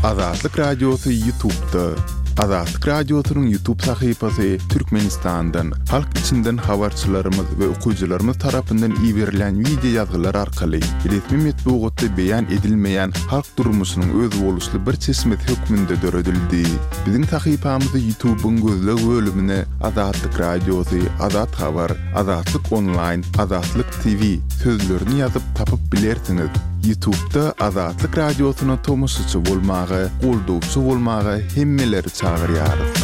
Azatlyk Radiosy Ýutubda. Azatlyk Radiosynyň Ýutub sahypasy Türkmenistandan, halk içinden habarçylarymyz we okyjylarymyz tarapyndan iberilýän wideo ýazgylar arkaly resmi metbugatda beýan edilmeýän halk durmuşynyň özboluşly bir çeşmesi hökmünde döredildi. Biziň sahypamyzy Ýutubyň gözleg bölümine Azatlyk Radiosy, Azat Habar, Azatlyk Onlaýn, Azatlyk TV sözlerini ýazyp tapyp bilersiňiz. Ýutubda Azatlyk Radiosyna tomaşaçy bolmaga, goldawçy bolmaga hemmeleri çagyrýarys.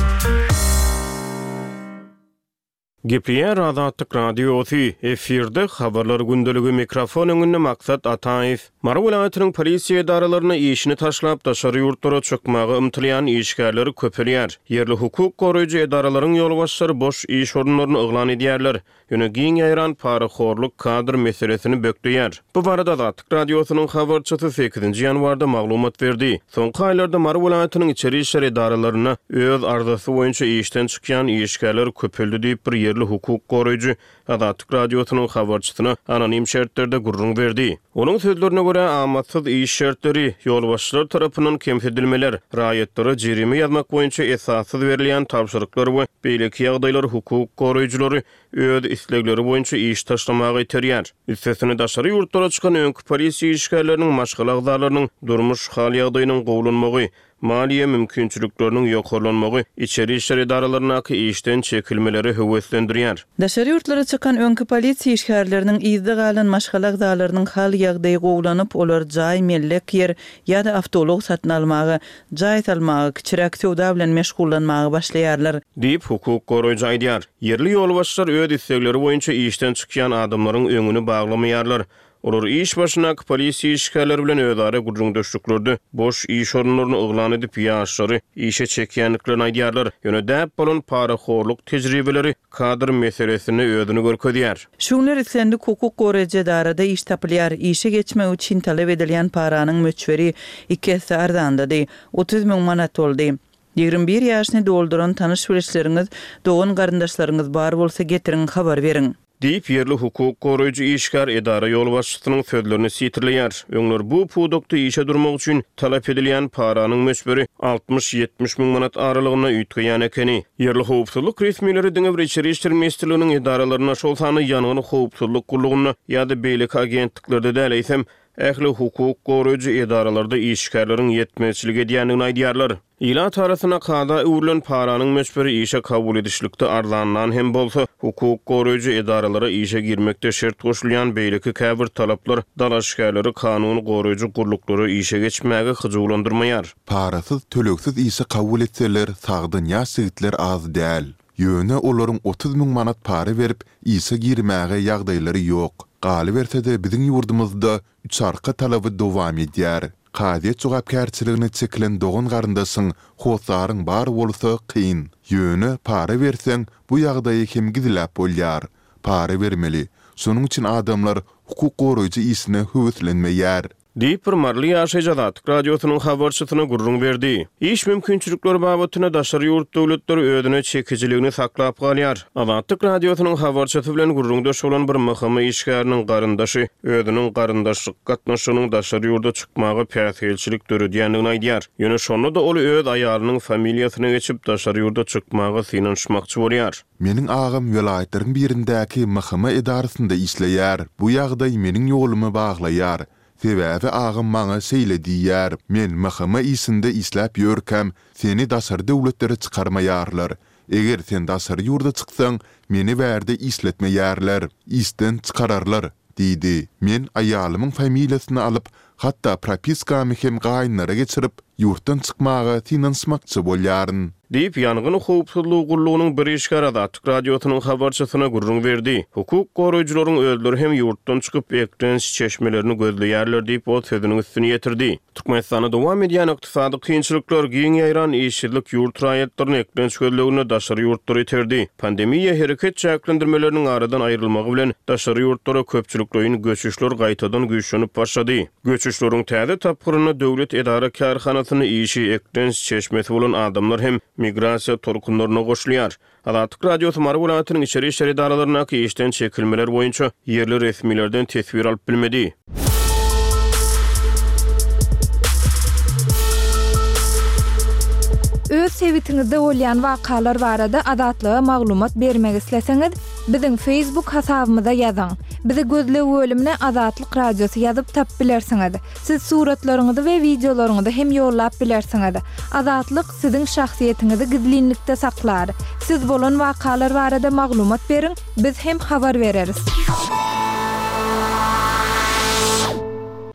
Gepleýär Azatlyk Radiosy, efirde Habarlar gündeligi, mikrofon öňünde Maksat Ataýew. Mary welaýatynyň polisiýa edaralarynda işini taşlap, daşary ýurtlara çykmaga ymtylýan işgärler köpelýär. Ýerli hukuk goraýjy edaralaryň ýolbaşçylary boş iş orunlaryny yglan edýärler. Ýöne giň ýaýran parahorluk kadr meselesini bökdeýär. Bu barada Azatlyk Radiosynyň habarçysy sekizinji ýanwarda maglumat berdi. Soňky aýlarda Mary welaýatynyň içeri işler edaralarynda öz arzasy boýunça işden çykýan işgärler köpeldi diýip, bir ýerli hukuk goraýjy Azatlyk Radiosynyň habarçysyna anonim şertlerde gürrüň berdi. Onuň sözlerine görä, amatsyz iş şertleri, ýolbaşçylar tarapyndan kemsidilmeler, raýatlara jerime ýazmak boýunça esassyz berilýän tabşyryklar we beýleki ýagdaýlar hukuk goraýjylary öz islegleri boýunça iş taşlamaga iterýär. Üstesine, daşary ýurtlara çykan öňki polisiýa işgärleriniň maşgala agzalarynyň durmuş hal-ýagdaýynyň gowulanmagy, Maliýe mümkinçilikleriniň ýokarlanmagy içeri işler edaralaryndaky işden çekilmeleri höweslendirýär. Daşary ýurtlara çykan öňki polisiýa işgärleriniň yzda galan maşgala agzalarynyň hal-ýagdaýy gowulanyp, olar jaý, mellek ýer ýa-da awtoulag satyn almaga, jaý salmaga, kiçiräk söwda bilen meşgullanmaga başlaýarlar. Diýip, hukuk goraýjy aýdýar. Ýerli ýolbaşçylar öz islegleri boýunça işden çykýan adamlaryň öňüni baglamaýarlar. Olar iş başyndaky polisiýa işgärleri bilen özara gürrüňdeşliklerde boş iş orunlaryny yglan edip, ýaşlary işe çekýändiklerini aýdýarlar. Ýöne däp bolan parahorluk tejribeleri kadr meselesinde özüni görkezýär. Şu günler islendik hukuk goraýjy edarada iş tapylýar. Işe geçmek üçin talap edilýän paranyň möçberi iki esse arzanlady, 30 müň manat boldy. 21 ýaşyny dolduran tanyş-bilişleriňiz, dogan-garyndaşlaryňyz bar bolsa getiriň, habar beriň. Diýip, ýerli hukuk goraýjy işgär edara ýolbaşçysynyň sözlerini sitirleýär. Öňler bu pudakda işe durmak üçin talap edilýän paranyň möçberi altmyş-ýetmiş müň manat aralygynda üýtgeýän ekeni. Ýerli howpsuzlyk resmileri diňe bir Içeri işler ministrliginiň edaralarynda, şol sanda ýangyn howpsuzlyk gullugynda ýa-da beýleki agentliklerde däl, eýsem, ähli hukuk goraýjy edaralarda işgärleriň ýetmezçilik edýändigini aýdýarlar. Ilat arasynda kada öwrülen paranyň möçberi işe kabul edişlikde arzanlan hem bolsa, hukuk goraýjy edaralara işe girmekde şert goşulýan beýleki käbir talaplar dalaşgärleri kanun goraýjy gulluklara işe geçmäge hyjuwlandyrmaýar. Parasyz, tölegsiz işe kabul etseler sagdyn ýaş ýigitler az däl. Ýöne olaryň 30 müň manat para berip işe girmäge ýagdaýlary ýok. Galyberse-de biziň ýurdumyzda üçarka talaby dowam edýär. Kazyýet jogapkärçiligine çekilen dogan-garyndaşyň, hossaryň bar bolsa kyn. Ýöne para berseň, bu ýagdaýy hem gizläp bolýar. Para bermeli. Şonuň üçin adamlar hukuk goraýjy işine höweslenmeýär. Diýip, bir maryly ýaşaýjy Azatlyk Radiosynyň habarçysyna gürrüň berdi. Iş mümkinçilikleri babatynda daşary ýurt döwletleri özüne çekijiligini saklap galýar. Azatlyk Radiosynyň habarçysy bilen gürrüňdeş bolan bir MHM işgäriniň garyndaşy özüniň garyndaşlyk gatnaşygynyň daşary ýurda çykmaga päsgelçilik döredýändigini aýdýar. Ýöne şonda-da ol öz aýalynyň familiýasyna geçip, daşary ýurda çykmaga synanyşmakçy bolýar. Meniň agam welaýatlaryň birindäki MHM edarasynda işleýär. Bu ýagdaý meniň ýolumy baglaýar. Sebäbi agam maňa şeýle diýýär, Men MHM işinde işläp ýörkäm, seni daşary döwletlere çykarmaýarlar. Eger sen daşary ýurda çyksaň, meni bärde işletmeýärler, işden çykararlar diýdi. Men aýalymyň familiýasyny alyp, hatda propiskamy hem gaýynlara geçirip, ýurtdan çykmaga synanyşmakçy bolýaryn. Diýip, Ýangyn howpsuzlygy gullugynyň bir işgäri Azatlyk Radiosynyň habarçysyna gürrüň berdi. Hukuk goraýjylaryň özleri hem ýurtdan çykyp, eklenç çeşmelerini gözleýärler diýip, ol sözüniň üstüni ýetirdi. Türkmenistanda dowam edýän ykdysady kynçylyklar, giň ýaýran işsizlik ýurt raýatlaryny eklenç gözleginde daşary ýurtlara iterdi. Pandemiýa, hereket çäklendirmeleriniň aradan aýrylmagy bilen, daşary ýurtlara köpçülikleýin göçüşler gaýtadan güýçlenip başlady. Göçüşleriň täze tapgyrynda döwlet edara-kärhanasynda işi eklenç çeşmesi bolan adamlar hem migrasiýa tolkunlaryna goşulýar. Azatlyk Radiosy Mary welaýatynyň içeri işler edaralaryndaky işden çekilmeler boýunça ýerli resmilerden teswir alyp bilmedi. Öz sebitiňizde bolýan wakalar barada Azatlyga maglumat bermek isleseňiz, biziň Facebook hasabymyza ýazyň. Bizi gözleg bölümine Azatlyk Radiosy ýazyp tapyp bilersiňiz. Siz suratlaryňyzy we wideolaryňyzy hem ýollap bilersiňiz. Azatlyk siziň şahsyýetiňizi gizlinlikde saklar. Siz bolan wakalar barada maglumat beriň, biz hem habar bereris.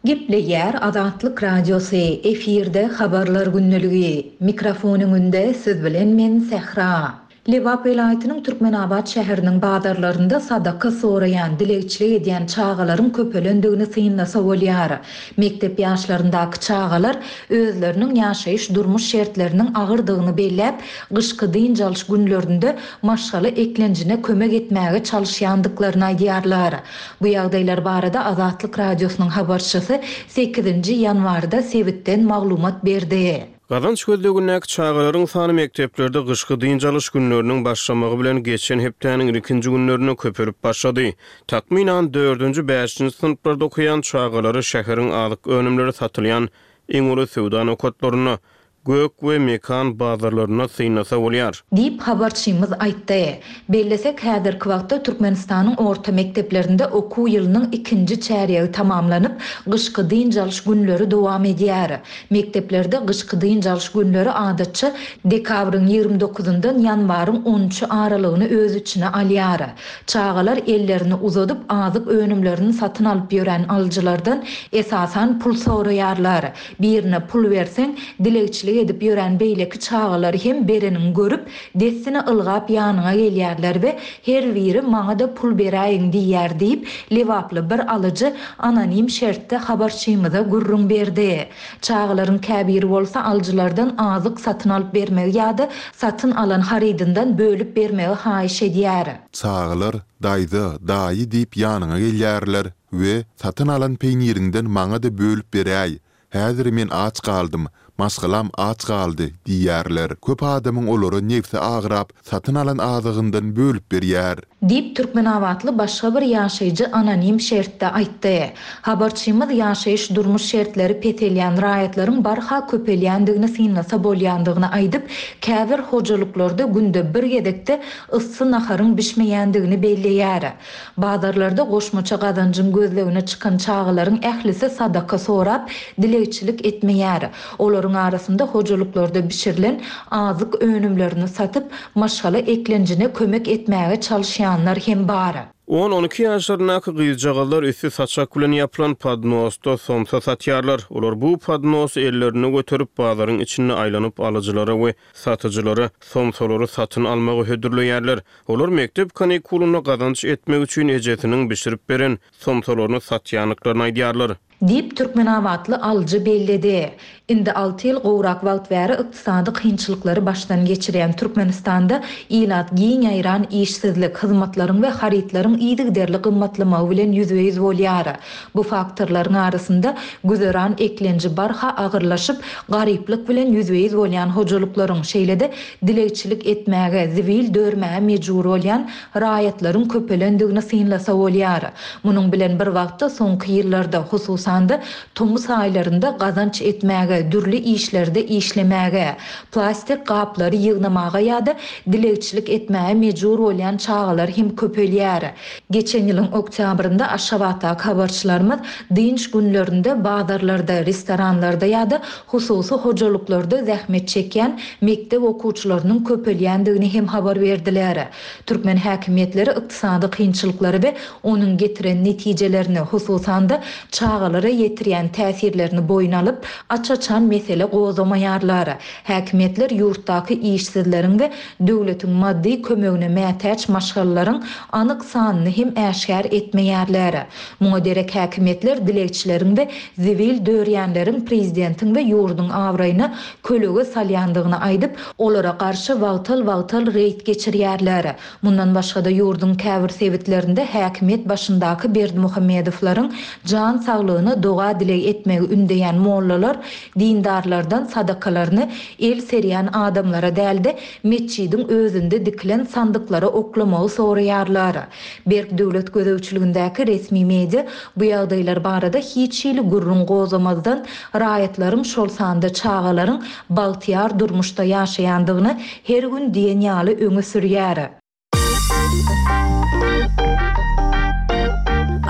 Gepleýär Azatlyk Radiosy, efirde Habarlar gündeligi. Mikrofon öňünde siz bilen men Sähra. Lebap welaýatynyň Türkmenabat şäheriniň bazarlarynda sadaka soraýan, dilegçilik edýän çagalaryň köpelendigini synlasa bolýar. Mekdep ýaşlaryndaky çagalar özleriniň ýaşaýyş-durmuş şertleriniň agyrdygyny belläp, gyşky dynç alyş günlerinde maşgala eklenjine kömek etmäge çalyşýandyklaryny aýdýarlar. Bu ýagdaýlar barada Azatlyk Radiosynyň habarçysy sekizinji ýanwarda sebitden maglumat berdi. Gazanç gözlegindäki çagalaryň sany mekdeplerde gyşky dynç alyş günleriniň başlamagy bilen geçen hepdäniň ilkinji günlerinde köpelip başlady. Takmynan dördünji, bäşinji synplarda okaýan çagalary şäheriň azyk önümleri satylýan iň uly söwda nokatlarynda, Gök we Mekan bazarlarynda synlasa bolýar. Diýip, habarçymyz aýtdy. Bellesek, häzirki wagtda Türkmenistanyň orta mekdeplerinde okuw ýylynyň ikinji çärýegi tamamlanyp, gyşky dynç alyş günleri dowam edýär. Mekdeplerde gyşky dynç alyş günleri adatça dekabryň 20 dokuzyndan ýanwaryň on üçi aralygyny öz içine alýar. Çagalar ellerini uzadyp azyk önümlerini satyn alyp ýören alyjylardan esasan pul soraýarlar. Birine pul berseň, dilegçilik edip ýören beýleki çagalar hem bereniňi görüp, dessine ylgap ýanyňa gelýärler we her biri maňa-da pul beräýiň diýýär diýip, lebaply bir alyjy anonim şertde habarçymyza gürrüň berdi. Çagalaryň käbiri bolsa alyjylardan azyk satyn alyp bermegi ýa-da satyn alan harydyndan bölüp bermegi haýyş edýär. Çagalar daýza, daýy diýip ýanyňa gelýärler we satyn alan peýniriňden maňa-da bölüp beräý, häzir men aç galdym, maşgalam aç galdy diýýärler. Köp adamyň olara nebsi agrap, satyn alan azygyndan bölüp berýär. Diýip, türkmenabatly başga bir ýaşaýjy anonim şertde aýtdy. Habarçymyz ýaşaýyş-durmuş şertleri peselýän raýatlaryň barha köpelýändigini synlasa bolýandygyny aýdyp, käbir hojalyklarda günde bir gezekde yssy naharyň bişmeýändigini belleýär. Bazarlarda goşmaça gazanjyň gözlegine çykan çagalaryň ählisi sadaka sorap, dilegçilik etmeýär. Olaryň arasynda hojalyklarda bişirilen azyk önümlerini satyp, maşgala eklenjine kömek etmäge çalyşýanlar hem bar. On-on iki ýaşlaryndaky gyzjagazlar üsti saçak bilen ýapylan podnosda somsa satýarlar. Olar bu podnosy ellerinde göterip, bazaryň içinde aýlanyp alyjylara we satyjylara somsalary satyn almagy hödürleýärler. Olar mekdep kanikulynda gazanç etmek üçin ejesiniň bişirip beren somsalaryny satýandyklaryny aýdýarlar. Diýip, türkmenabatly alyjy belledi. Indi alty ýyl gowrak wagt bäri ykdysady kynçylyklary başdan geçirýän Türkmenistanda ilat giň ýaýran işsizlik, hyzmatlaryň we harytlaryň yzygiderli gymmatlamagy bilen ýüzbe-ýüz bolýar. Bu faktorlaryň arasynda güzeran eklenji barha agyrlaşyp, garyplyk bilen ýüzbe-ýüz bolýan hojalyklaryň, şeýle-de dilegçilik etmäge, zibil dörmäge mejbur bolýan raýatlaryň köpelendigini synlasa bolýar. Munuň bilen bir wagtda soňky ýyllarda, hususan-da, tomus aýlarynda gazanç etmäge, dürli işlerde işlemäge, plastik gaplary ýygnamaga ýa-da dilegçilik etmäge mejbur bolýan çagalar hem köpelýär. Geçen ýylyň oktýabrynda Aşgabatdaky habarçylarymyz dynç günlerinde bazarlarda, restoranlarda ýa-da hususy hojalyklarda zähmet çekýän mekdep okuwçylarynyň köpelýändigini hem habar berdiler. Türkmen häkimiýetleri ykdysady kynçylyklary we onuň getiren netijelerini, hususan-da, çagalara ýetirýän täsirlerini boýun alyp, aç-açan mesele gozgamaýarlar. Häkimiýetler ýurtdaky işsizleriň we döwletiň maddy kömegine mätäç maşgalalaryň anyk sanyny hem äşgär etmeýärler. Muňa derek häkimiýetler dilegçileriň we zibil dörýänleriň prezidentiň we ýurduň abraýyna kölege salýandygyny aýdyp, olara garşy wagtal-wagtal reýd geçirýärler. Mundan başga-da ýurduň käbir sebitlerinde häkimiýet başyndaky Berdimuhamedowlaryň jan saglygyna. rahatlygyna doga-dileg etmegi ündeýän mollalar dindarlardan sadakalaryny el serýän adamlara däl-de, metjidiň özünde dikilen sandyklara oklamagy soraýarlar. Berk döwlet gözegçiligindäki resmi media bu ýagdaýlar barada hiç hili gürrüň gozgamazdan, raýatlaryň, şol sanda çagalaryň bagtyýar durmuşda ýaşaýandygyny her gün diýen ýaly öňe sürýär.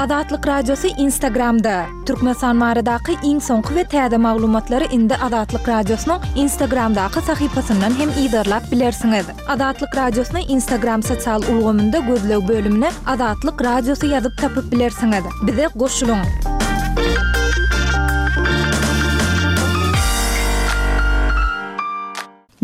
Azatlyk Radiosy Instagramda, Türkmenistan baradaky iň soňky we täze maglumatlary indi Azatlyk Radiosynyň Instagramdaky sahypasyndan hem yzarlap bilersiňiz. Azatlyk Radiosyny Instagram sosial ulgamynda gözleg bölümine Azatlyk Radiosy ýazyp tapyp bilersiňiz. Bize goşulyň!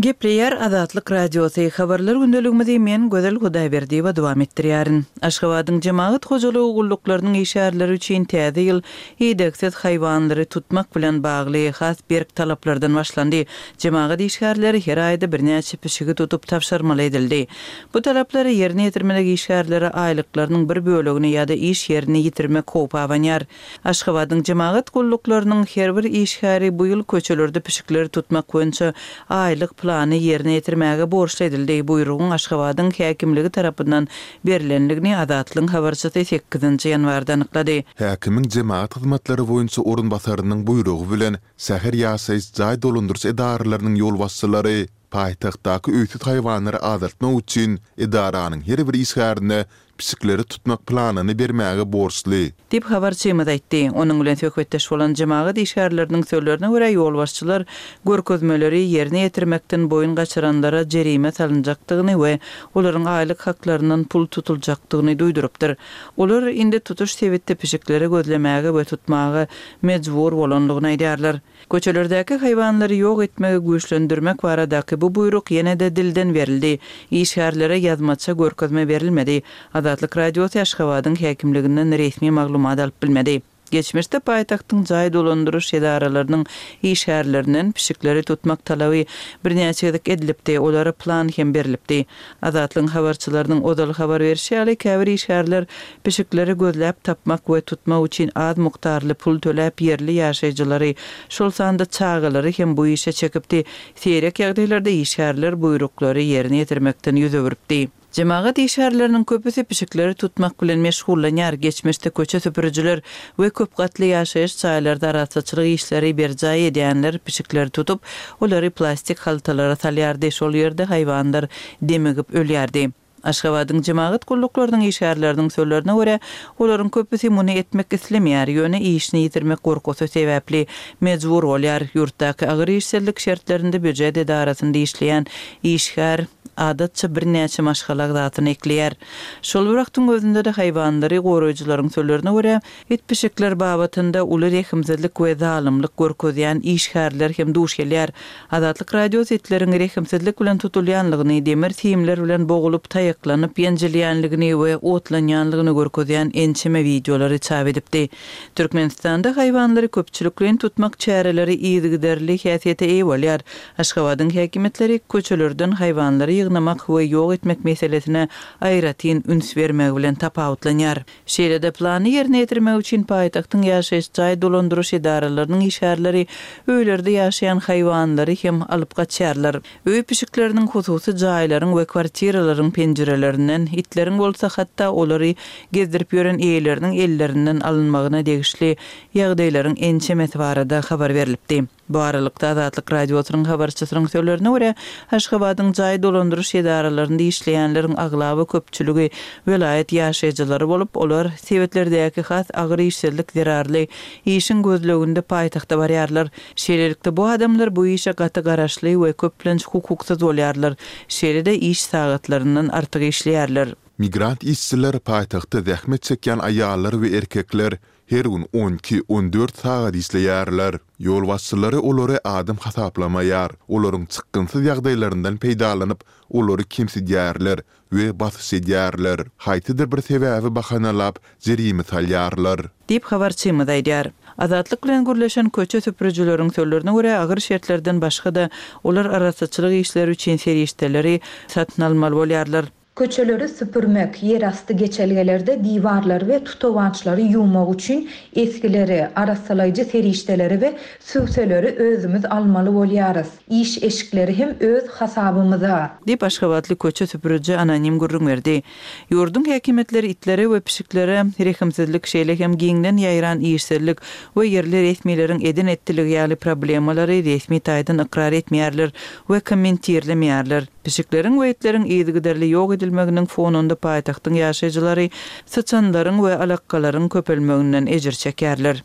Gepleýär Azatlyk Radiosy, Habarlar gündeligimizi men, Gözel Hudaýberdiýewa dowam etdirýärin. Aşgabadyň jemagat hojalygy gulluklarynyň işgärleri üçin täze ýyl idegsiz haýwanlary tutmak bilen bagly has berk talaplardan başlandy. Jemagat işgärleri her aýda birnäçe pişigi tutup tabşyrmaly edildi. Bu talaplary ýerine ýetirmedik işgärlere aýlyklarynyň bir bölegini ýa-da iş ýerini ýitirmek howpy abanýar. Aşgabadyň jemagat gulluklarynyň her bir işgäri bu ýyl köçelerde pişikleri tutmak boýunça aýlyk plany ýerine ýetirmäge borçly edildi. Buýrugyň Aşgabadyň häkimligi tarapyndan berlendigini Azatlygyň habarçysy sekizinji ýanwarda anyklady. Häkimiň jemagat hyzmatlary boýunça orunbasarynyň buýrugy bilen şäher ýaşaýyş jaý dolandyryş edaralarynyň ýolbaşçylary paýtagtdaky öýsüz haýwanlary azaltmak üçin edaranyň her bir işgärine pişikleri tutmak planyny bermäge borçly. Diýip, habarçymyz aýtdy. Onuň bilen söhbetdeş bolan jemagat işgärleriniň sözlerine görä, ýolbaşçylar görkezmeleri ýerine ýetirmekden boýun gaçyranlara jerime salynjakdygyny we olaryň aýlyk haklaryndan pul tutuljakdygyny duýdurypdyr. Olar indi tutuş sebitde pişikleri gözlemäge we tutmaga mejbur bolandygyny aýdýarlar. Köçelerdäki haýwanlary ýok etmegi güýçlendirmek baradaky bu buýruk ýene-de dilden berildi. Işgärlere ýazmaça görkezme berilmedi. Azatlyk Radiosy Aşgabadyň häkimliginden resmi maglumat alyp bilmedi. Geçmişde paýtagtyň jaý dolandyryş edaralarynyň işgärlerinden pişikleri tutmak talaby birnäçe gezek edilipdi, olara plan hem berlipdi. Azatlygyň habarçylarynyň ozal habar berşi ýaly, käbir işgärler pişikleri gözläp tapmak we tutmak üçin az mukdarly pul töläp ýerli ýaşaýjylary, şol sanda çagalary hem bu işe çekipdi. Seýrek ýagdaýlarda işgärler buýruklary ýerine ýetirmekden ýüz öwrüpdi. Jemagat işgärleriniň köpüsi pişikleri tutmak bilen meşgullanýar. Geçmişde köçe süpürijiler we köp gatly ýaşaýyş jaýlarda arassaçylyk işleri berjaý edýänler pişikleri tutup, olary plastik haltalara salýardy, şol ýerde haýwanlar demigip ölýärdi. Aşgabadyň jemagat gulluklarynyň işgärleriniň sözlerine görä, olaryň köpüsi muny etmek islemeýär, ýöne işini ýitirmek gorkusy sebäpli mejbur bolýar. Ýurtdaky agyr işsizlik şertlerinde býujet edarasynda işleýän işgär, adatça, birnäçe maşgala agzasyny ekleýär. Şol bir wagtyň özünde-de haýwanlary goraýjylaryň sözlerine görä, It-pişikler babatynda uly rehimsizlik we zalymlyk görkezýän işgärler hem duş gelýär. Azatlyk Radiosy itleriň rehimsizlik bilen tutulýanlygyny, demir simler bilen bogulyp, taýaklanyp ýenjilýänligini we otlanýanlygyny görkezýän ençeme wideolary çap edipdi. Türkmenistanda haýwanlary köpçülikleýin tutmak çäreleri yzygiderli häsiýete eýe bolýar. Aşgabadyň häkimiýetleri köçelerden haýwanlary ýygnamak we ýok etmek meselesine aýratyn üns bermegi bilen tapawutlanýar. Şeýle-de, plany ýerine ýetirmek üçin paýtagtyň ýaşaýyş jaý dolandyryş edaralarynyň işgärleri öýlerde ýaşaýan haýwanlary hem alyp gaçýarlar. Öý pişikleriniň hususy jaýlaryň we kwartiralaryň penjirelerinden, itleriň bolsa hatda olary gezdirip ýören eýeleriniň ellerinden alynmagyna degişli ýagdaýlaryň ençemesi barada habar berlipdi. Bu aralykda, Azatlyk Radiosynyň habarçysynyň sözlerine görä, Aşgabadyň jaý dolandyryş edaralarynda işleýänleriň aglaba köpçüligi welaýat ýaşaýjylary bolup, olar sebitlerdäki has agyr işsizlik zerarly işiň gözleginde paýtagta barýarlar. Şeýlelikde, bu adamlar bu işe gaty garaşly we köplenç hukuksyz bolýarlar, şeýle-de iş sagatlaryndan artyk işleýärler. Migrant işçiler paýtagtda zähmet çekýän aýallar we erkekler Her gün on iki, on dört sagat işleýärler. Ýolbaşçylary olary adam hasaplamaýar, olaryň çykgynsyz ýagdaýlaryndan peýdalanyp, olary kemsidýärler we basyş edýärler. Haýsydyr bir sebäbi bahanalap, jerime salýarlar. Diýip, habarçymyz aýdýar. Azatlyk bilen gürleşen köçe süpürijileriň sözlerine görä, agyr şertlerden başga-da, olar arassaçylyk işleri üçin serişdeleri satyn almaly bolýarlar. Köçeleri süpürmek, ýerasty geçelgelerde diwarlary we tutawaçlary ýuwmak üçin esgileri, arassalaýjy serişdeleri we sübseleri özümiz almaly bolýarys. Iş eşikleri hem öz hasabymyza. Diýip, aşgabatly köçe süpüriji anonim gürrüň berdi. Ýurduň häkimiýetleri itlere we pişiklere rehimsizlik, şeýle hem giňden ýaýran işsizlik we ýerli resmileriň eden-etdiligi ýaly problemalary resmi taýdan ykrar etmeýärler we kommentirlemeýärler. Pişikleriň we itleriň yzygiderli ýok edilmeginiň fonunda paýtagtyň ýaşaýjylary syçanlaryň we alakgalaryň köpelmeginden ejir çekýärler.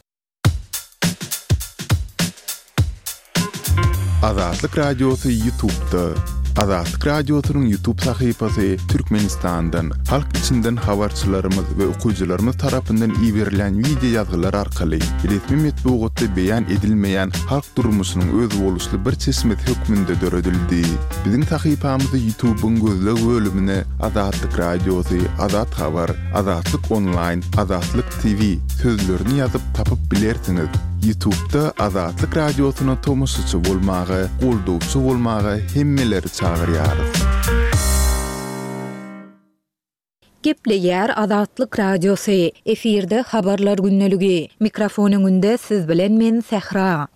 Azatlyk Radiosy Ýutubda. Azatlyk Radiosynyň Ýutub sahypasy Türkmenistandan, halk içinden habarçylarymyz we okyjylarymyz tarapyndan iberilýän wideo ýazgylar arkaly resmi metbugatda beýan edilmeýän halk durmuşynyň özboluşly bir çeşmesi hökmünde döredildi. Biziň sahypamyzy Ýutubyň gözleg bölümine Azatlyk Radiosy, Azat Habar, Azatlyk Onlaýn, Azatlyk TV sözlerini ýazyp tapyp bilersiňiz. Ýutubda Azatlyk Radiosyna tomaşaçy bolmaga, goldawçy bolmaga hemmeleri çagyrýarys. Gepleýär Azatlyk Radiosy, efirde Habarlar gündeligi. Mikrofon öňünde siz bilen men Sähra.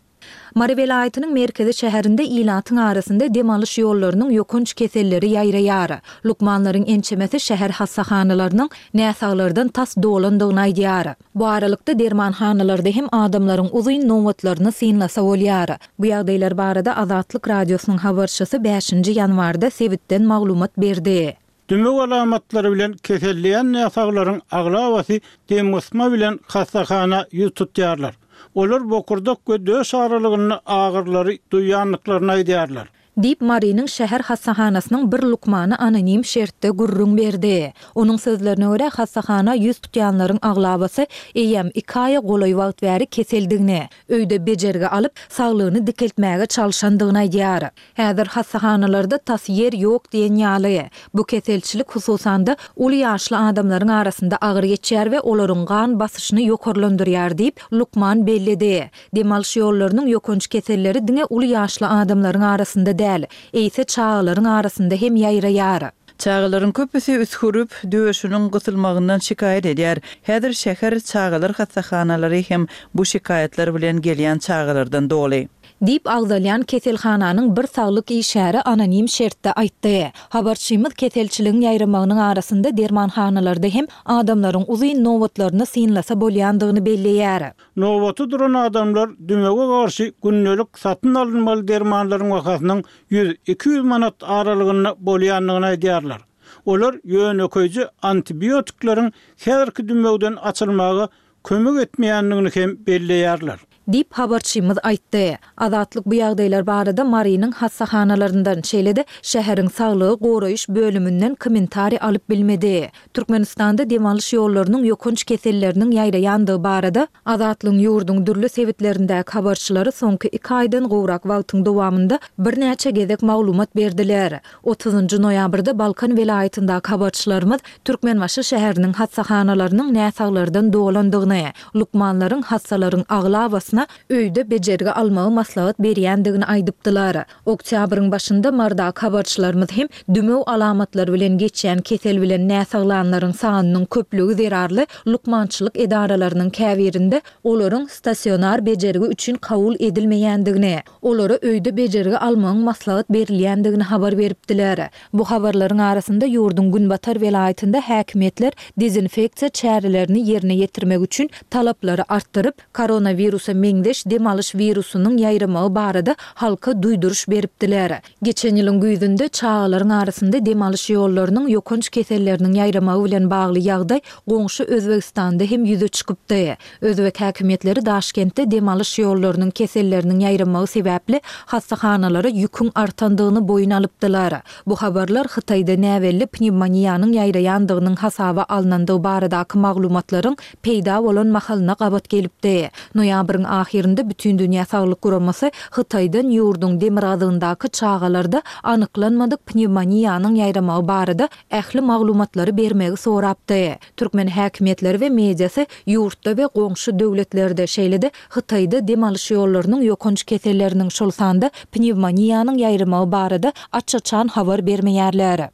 Mary welaýatynyň merkezi şäherinde ilatyň arasynda dem alyş ýollarynyň ýokanç keselleri ýaýraýar. Lukmanlaryň ençemesi şäher hassahanalarynyň näsaglardan tas dolandygyny aýdýar. Bu aralykda dermanhanalarda hem adamlaryň uzyn nobatlaryny synlasa bolýar. Bu ýagdaýlar barada Azatlyk Radiosynyň habarçysy bäşinji ýanwarda sebitden maglumat berdi. Dümew alamatlary bilen keselleýän näsaglaryň aglabasy demgysma bilen hassahana ýüz tutýarlar. Olar bokurdak we döş aralygynda agyrylary duýýandyklaryny aýdýarlar. Diýip, Marynyň şäher hassahanasynyň bir lukmany anonim şertde gürrüň berdi. Onuň sözlerine görä, hassahana ýüz tutýanlaryň aglabasy eýýäm iki aýa golaý wagt bäri keseldigini, öýde bejergi alyp, saglygyny dikeltmäge çalşandygyny aýdýar. Häzir hassahanalarda tas ýer ýok diýen ýaly. Bu keselçilik, hususan-da, uly ýaşly adamlaryň arasynda agyr geçýär we olaryň gan basyşyny ýokarlandyrýar diýip, lukman belledi. Dem alyş ýollarynyň ýokanç keselleri diňe uly ýaşly adamlaryň arasynda däl, eýse çagalaryň arasynda hem ýaýraýar. Çagalaryň köpüsi üsgürip, döşüniň gysylmagyndan şikaýat edýär. Häzir şäher çagalar hassahanalary hem bu şikaýatlar bilen gelýän çagalardan doly. Diýip, agzalýan keselhananyň bir saglyk işgäri anonim şertde aýtdy. Habarçymyz keselçiligiň ýaýramagynyň arasynda dermanhanalarda hem adamlaryň uzyn nobatlaryny synlasa bolýandygyny belleýär. Nobata duran adamlar dümewe garşy gündelik satyn alynmaly dermanlaryň bahasynyň ýüz, 200 manat aralygynda bolýandygyny aýdýarlar. Olar ýönekeýje antibiotikleriň häzirki dümewden açylmaga kömek etmeýändigini hem belleýärler. Diýip, habarçymyz aýtdy. Azatlyk bu ýagdaýlar barada Marynyň hassahanalaryndan, şeýle-de şäheriň saglygy goraýyş bölüminden kommentariý alyp bilmedi. Türkmenistanda dem alyş ýollarynyň ýokanç keselleriniň ýaýraýandygy barada Azatlygyň ýurduň dürli sebitlerindäki habarçylary soňky iki aýdan gowrak wagtyň dowamynda birnäçe gezek maglumat berdiler. Otuzynjy noýabrda Balkan welaýatyndaky habarçylarymyz Türkmenbaşy şäheriniň hassahanalarynyň näsaglardan dolandygyny, lukmanlaryň hassalaryň aglabasyna öýde bejergi almagy maslahat berýändigini aýdypdylar. Oktýabryň başynda Marydaky habarçylarymyz hem dümew alamatlary bilen geçýän kesel bilen näsaglanlaryň sanynyň köplügi zerarly lukmançylyk edaralarynyň käbirinde olaryň stasionar bejergi üçin kabul edilmeýändigini, Olara öýde bejergi almagyň maslahat berilýändigini habar beripdiler. Bu habarlaryň arasynda ýurduň günbatar welaýatynda häkimiýetler dezinfeksiýa çärelerini ýerine ýetirmek üçin talaplary artdyryp, koronawirusa meňzeş dem alyş wirusynyň ýaýramagy barada halka duýduryş beripdiler. Geçen ýylyň güýzünde çagalaryň arasynda dem alyş ýollarynyň ýokanç keselleriniň ýaýramagy bilen bagly ýagdaý goňşy Özbegistanda hem ýüze çykypdy. Özbek häkimiýetleri Daşkentde dem alyş ýollarynyň keselleriniň ýaýramagy sebäpli hassahanalara ýüküň artandygyny boýun alypdylar. Bu habarlar Hytaýda näbelli pnewmoniýanyň ýaýraýandygynyň hasaba alnandygy baradaky maglumatlaryň peýda bolan mahalyna gabat gelipdi. Noýabryň ahyrynda Bütindünýä saglyk guramasy Hytaýdan ýurduň demirgazygyndaky çagalarda anyklanmadyk pnewmoniýanyň ýaýramagy barada ähli maglumatlary bermegi sorapdy. Türkmen häkimiýetleri we mediasy ýurtda we goňşy döwletlerde, şeýle-de Hytaýda dem alyş ýollarynyň ýokanç keselleriniň, şol sanda pnewmoniýanyň ýaýramagy barada aç-açan habar bermeýärler.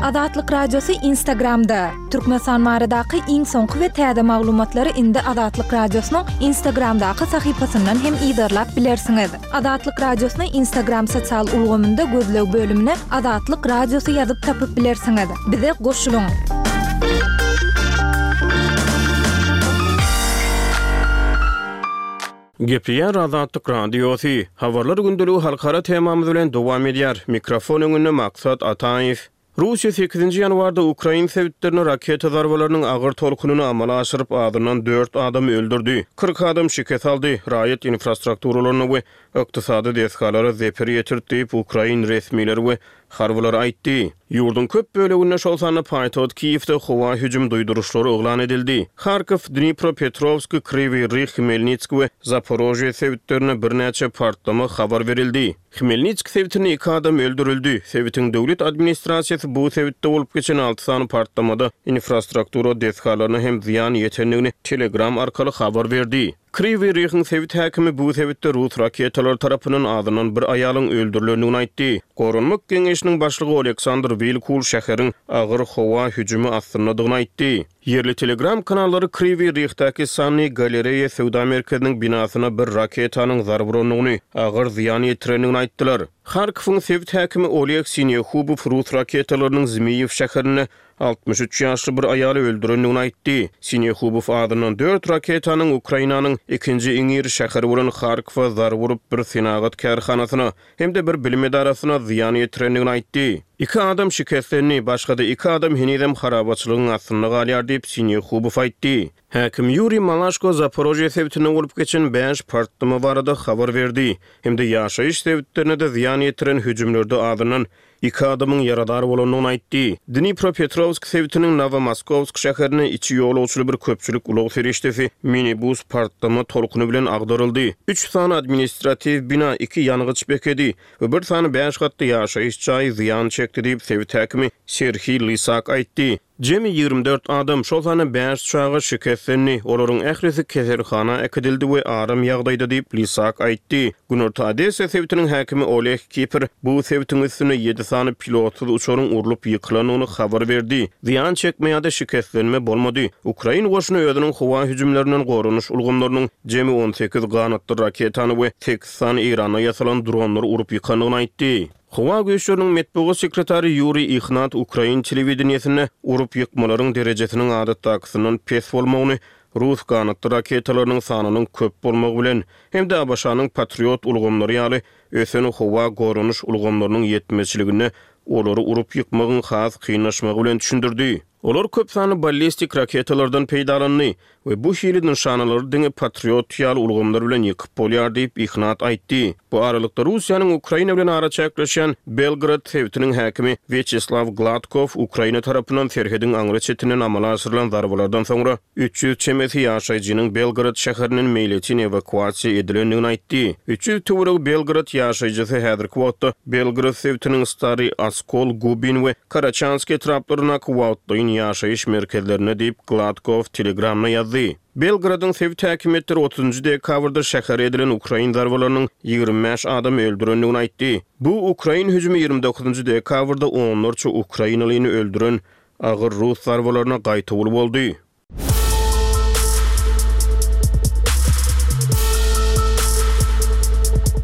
Azatlyk Radiosy Instagramda, Türkmenistan baradaky iň soňky we täze maglumatlary indi Azatlyk Radiosynyň Instagramdaky sahypasyndan hem yzarlap bilersiňiz. Azatlyk Radiosyny Instagram sosial ulgamynda gözleg bölümine Azatlyk Radiosy ýazyp tapyp bilersiňiz. Bize goşulyň! Gepleýär Azatlyk Radiosy. Habarlar gündeligi halkara temamyz bilen dowam edýär. Mikrofon öňünde Maksat Ataýew. Russiýa sekizinji ýanwarda ukrain sebitlerine raketa zarbalarynyň agyr tolkunyny amala aşyryp, azyndan dört adamy öldürdi, 40 adam şikes aldy, raýat infrastrukturalaryna we ykdysady desgalara zeper ýetirdi diýip, ukrain resmileri we harbylar aýtdy. Ýurduň köp böleginde, şol sanda paýtagt Kiýewde howa hüjüm duýduryşlary yglan edildi. Harkow, Dnipropetrowsk, Krywyý Rih, Hmelnitsk we Zaporožýe sebitlerinde birnäçe partlama habar berildi. Hmelnitsk sebitinde iki adam öldürildi. Sebitiň döwlet administrasiýasy bu sebitde bolup geçen alty sany partlamada infrastruktura desgalaryna hem zyýan ýetendigini Telegram arkaly habar berdi. Krywyý Rihiň sebit häkimi bu sebitde rus raketalary tarapyndan azyndan bir aýalyň öldürilendigini aýtdy. Goranmak geňeşiniň başlygy Oleksandr Wilkul şäheriň agyr howa hüjümi astyndadygyny aýtdy. Ýerli Telegram kanallary Krywyý Rihdäki Sanny galereýa söwda merkeziniň binasyna bir raketanyň zarba urandygyny, agyr zyýan ýetirendigini aýtdylar. Harkowyň sebit häkimi Oleg Sinehubow rus raketalarynyň Zmiýew şäherinde 63 ýaşly bir aýaly öldürendigini aýtdy. Sinehubow azyndan dört raketanyň Ukrainanyň ikinji iň iri şäheri bolan Harkowa zarba urup, bir senagat kärhanasyna hem-de bir bilim edarasyna zyýan ýetirendigini aýtdy. Iki adam şikeslendi, başga-da iki adam henizem harabaçylygyň astynda galýar diýip, Sinehubow aýtdy. Häkim Ýuriý Malaşko Zaporožýe sebitinde bolup geçen bäş partlama barada habar berdi hem-de ýaşaýyş sebitlerine-de zyýan ýetiren hüjümlerde azyndan iki adamyň ýaradar bolandygyny aýtdy. Dnipropetrowsk sebitiniň Nowomoskowsk şäherinde içi ýolagçyly bir köpçülik ulag serişdesi, minibus partlama tolkuny bilen agdaryldy. Üç sany administratiw bina, iki ýangyç bekedi we bir sany bäş gatly ýaşaýyş jaýy zyýan çekdi diýip, sebit häkimi Serhiý Lysak aýtdy. Jemi 24 adam, şol sanda bäş çaga şikeslendi. Olaryň ählisi keselhana äkidildi we aram ýagdaýda diýip, Lisak aýtdy. Günorta Odessa sebitiniň häkimi Oleg Kiper bu sebitiň üstünde ýedi sany pilotsyz uçaryň urlup ýykylandygyny habar berdi. Zyýan çekme ýa-da şikeslenme bolmady. Ukrain goşuny özüniň howa hüjümlerinden goranyş ulgamlarynyň jemi 18 ganatly raketany we sekiz sany Eýranda ýasalan dronlary urup ýykandygyny aýtdy. Howa güýçleriniň metbugat sekretary Ýuriý Ihnat ukrain telewideniýesinde urup ýykmalaryň derejesiniň adatdakysyndan pes bolmagyny rus ganatly raketalarynyň sanynyň köp bolmagy bilen hem-de ABŞ-nyň Patriot ulgamlary ýaly ösen howa goranyş ulgamlarynyň ýetmezçiliginde olary urup ýykmagyň has kynlaşmagy bilen düşündirdi. Olar köp sanly ballistik raketalardan peýdalandy we bu hili nyşanalary diňe Patriot ýaly ulgamlar bilen ýykyp bolýar diýip, Ihnat aýtdy. Bu aralykda, Russiýanyň Ukraina bilen araçäkleşýän Belgorod sebitiniň häkimi Wýaçeslaw Gladkow Ukraina tarapyndan serhediň aňry çetinden amala aşyrylan zarbalardan soňra 300 çemesi ýaşaýjynyň Belgorod şäherinden meýletin ewakuasiýa edilendigini aýtdy. 300 töweregi Belgorod ýaşaýjysy häzirki wagtda Belgorod sebitiniň Stary Oskol, Gubin we Karaçansk etraplaryndaky wagtlaýyn ýaşaýyş merkezlerinde diýip, Gladkow Telegramda ýazdy. Belgradyň sebit häkimiýetleri otuzynjy dekabrda şähere edilen ukrain zarbalarynyň 25 adamy öldürendigini aýtdy. Bu ukrain hüjümi 29-njy dekabrda onlarça ukrainalyny öldüren agyr rus zarbalaryna gaýtawul boldy.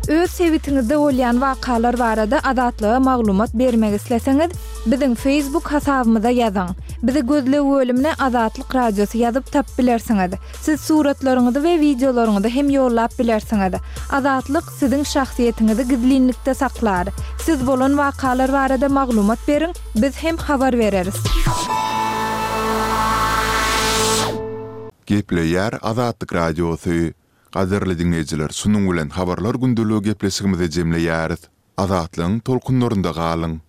Öz sebitiňizde bolýan wakalar barada Azatlyga maglumat bermek isleseňiz, biziň Facebook hasabymyza ýazyň. Bizi gözleg bölümine Azatlyk Radiosy ýazyp tapyp bilersiňiz. Siz suratlaryňyzy we wideolaryňyzy hem ýollap bilersiňiz. Azatlyk siziň şahsyýetiňizi gizlinlikde saklar. Siz bolan wakalar barada maglumat beriň, biz hem habar bereris. Gepleýär Azatlyk Radiosy. Gadyrly diňleýjiler şunuň bilen Habarlar gündeligi gepleşigimizi jemleýäris. Azatlygyň tolkunlarynda galyň!